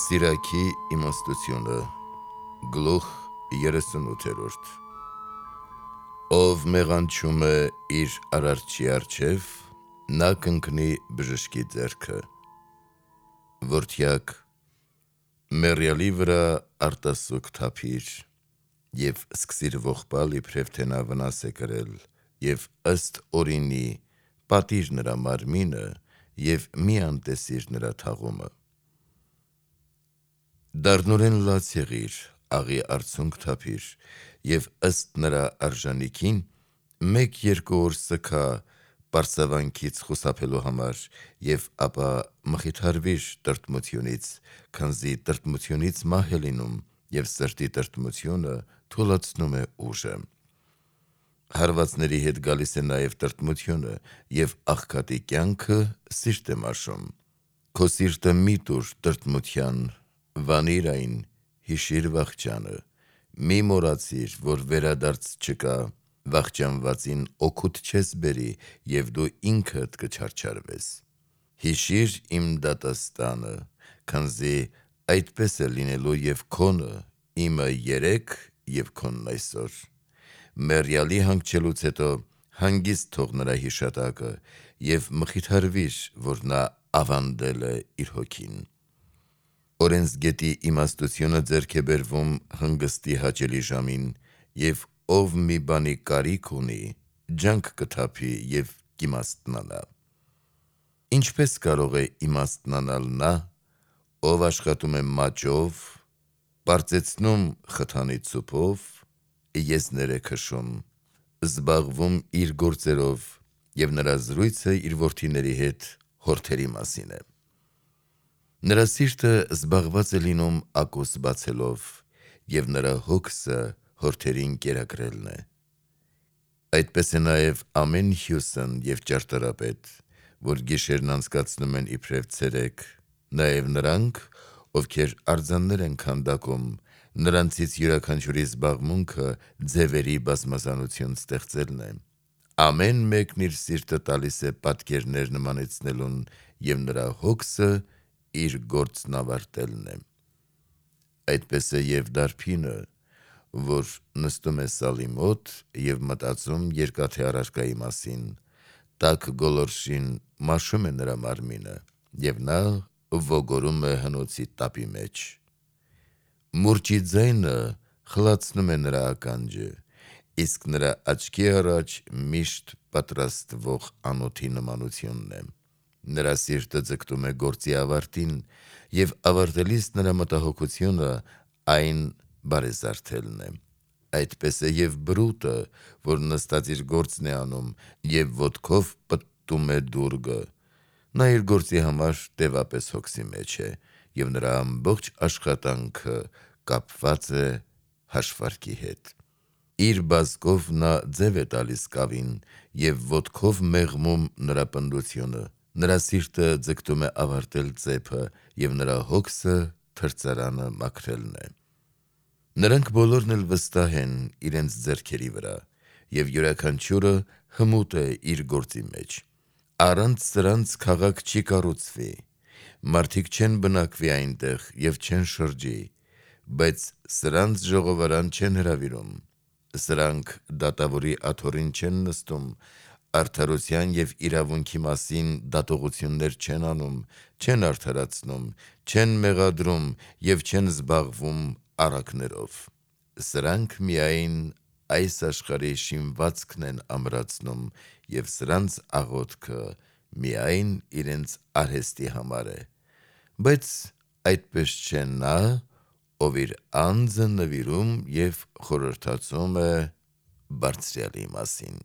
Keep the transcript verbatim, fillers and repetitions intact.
Սիրակի իմաստությունը, գլուխ երեսունութերորդ Ով մեղանչում է իր արարչի առջև, նա կընկնի բժշկի ձեռքը: Որդյակ, մեռյալի վրա արտասուք թափիր և սկսիր ողբալ իբրև թե նա վնաս է կրել և ըստ օրինի պատիր նրա մարմինը և մի անտեսիր նրա թաղումը: Դառնորեն լաց եղիր, աղի արցունք թափիր և ըստ նրա արժանիքին մեկ-երկու օր սգա պարծավանքից խուսափելու համար և ապա մխիթարվիր տրտմությունից, քանզի տրտմությունից մահ է լինում և սրտի տրտմությունը թուլացնում է ուժը: Հարվածների հետ գալիս է նաև տրտմությունը և աղքատի կյանքը սիրտ է մաշում: Քո սիրտը մի տուր տրտմության, վանիր այն, հիշիր վախճանը: Մի մոռացիր, որ վերադարձ չկա, վախճանվածին օգուտ չես բերի և դու ինքդ կչարչարվես: Հիշիր իմ դատաստանը, քանզի այդպես է լինելու և քոնը, իմը երեկ և քոնն այսօր: Մեռյալի հանգչելուց հետո հանգիստ թող նրա հիշատակը և մխիթարվիր, որ նա ավանդել է իր հոգին: Օրենսգետի իմաստությունը ձեռք է բերվում հանգստի հաճելի ժամին և ով մի բանի կարիք ունի, ջանք կթափի և կիմաստնանա: Ինչպե՞ս կարող է իմաստնանալ նա, ով աշխատում է մաճով, պարծեցնում խթանի ցուպով, եզներ է քշում, զբաղվում իր գործերով և նրա զրույցը իր որդիների հետ հորթերի մասին է: Նրա սիրտը զբաղված է լինում ակուս բացելով և նրա հոգսը հորթերին կերակրելն է: Այդպես է նաև ամեն հյուսն և ճարտարապետ, որ գիշերն անցկացնում են իբրև ցերեկ, նաև նրանք, ովքեր արձաններ են քանդակում, նրանցից յուրաքանչյուրի զբաղմունքը ձևերի բազմազանություն ստեղծելն է: Ամեն մեկն իր սիրտը տալիս է պատկերներ նմանեցնելուն և նրա հոգսը իր գործն ավարտելն է: Այդպես է և դարբինը, որ նստում է սալի մոտ և մտածում երկաթե առարկայի մասին, տաք գոլորշին մաշում է նրա մարմինը և նա ոգորում է հնոցի տապի մեջ: Մուրճի ձայնը խլացնում է նրա ականջը, իսկ նրա աչքի առաջ միշտ պատրաստվող անոթի նմանությունն է: Նրա սիրտը ձգտում է գործի ավարտին և ավարտելիս նրա մտահոգությունը այն բարեզարդելն է: Այդպես է և բրուտը, որ նստած իր գործն է անում և ոտքով պտտում է դուռգը: Նա իր գործի համար տևապես հոգսի մեջ է և նրա ամբողջ աշխատանքը կապված է հաշվարկի հետ: Իր բազկով նա ձև է տալիս կավին և ոտքով մեղմում նրա պնդությունը: Նրա սիրտը ձգտում է ավարտել ծեփը և նրա հոգսը թրծարանը մաքրելն է: Նրանք բոլորն էլ վստահ են իրենց ձեռքերի վրա և յուրաքանչյուրը հմուտ է իր գործի մեջ: Առանց սրանց քաղաք չի կառուցվի: Մարդիկ չեն բնակվի այնտեղ և չեն շրջի: Բայց սրանց ժողովարան չեն հրավիրում: Սրանք դատավորի աթոռին չեն նստում, արդարության և իրավունքի մասին դատողություններ չեն անում, չեն արդարացնում, չեն մեղադրում և չեն զբաղվում առակներով: Սրանք միայն այս աշխարհի շինվածքն են ամրացնում և սրանց աղոթքը միայն իրենց արհեստի համար է: Բայց այդպես չէ նա, ով իր անձը նվիրում և խորհրդածում է Բարձրյալի մասին: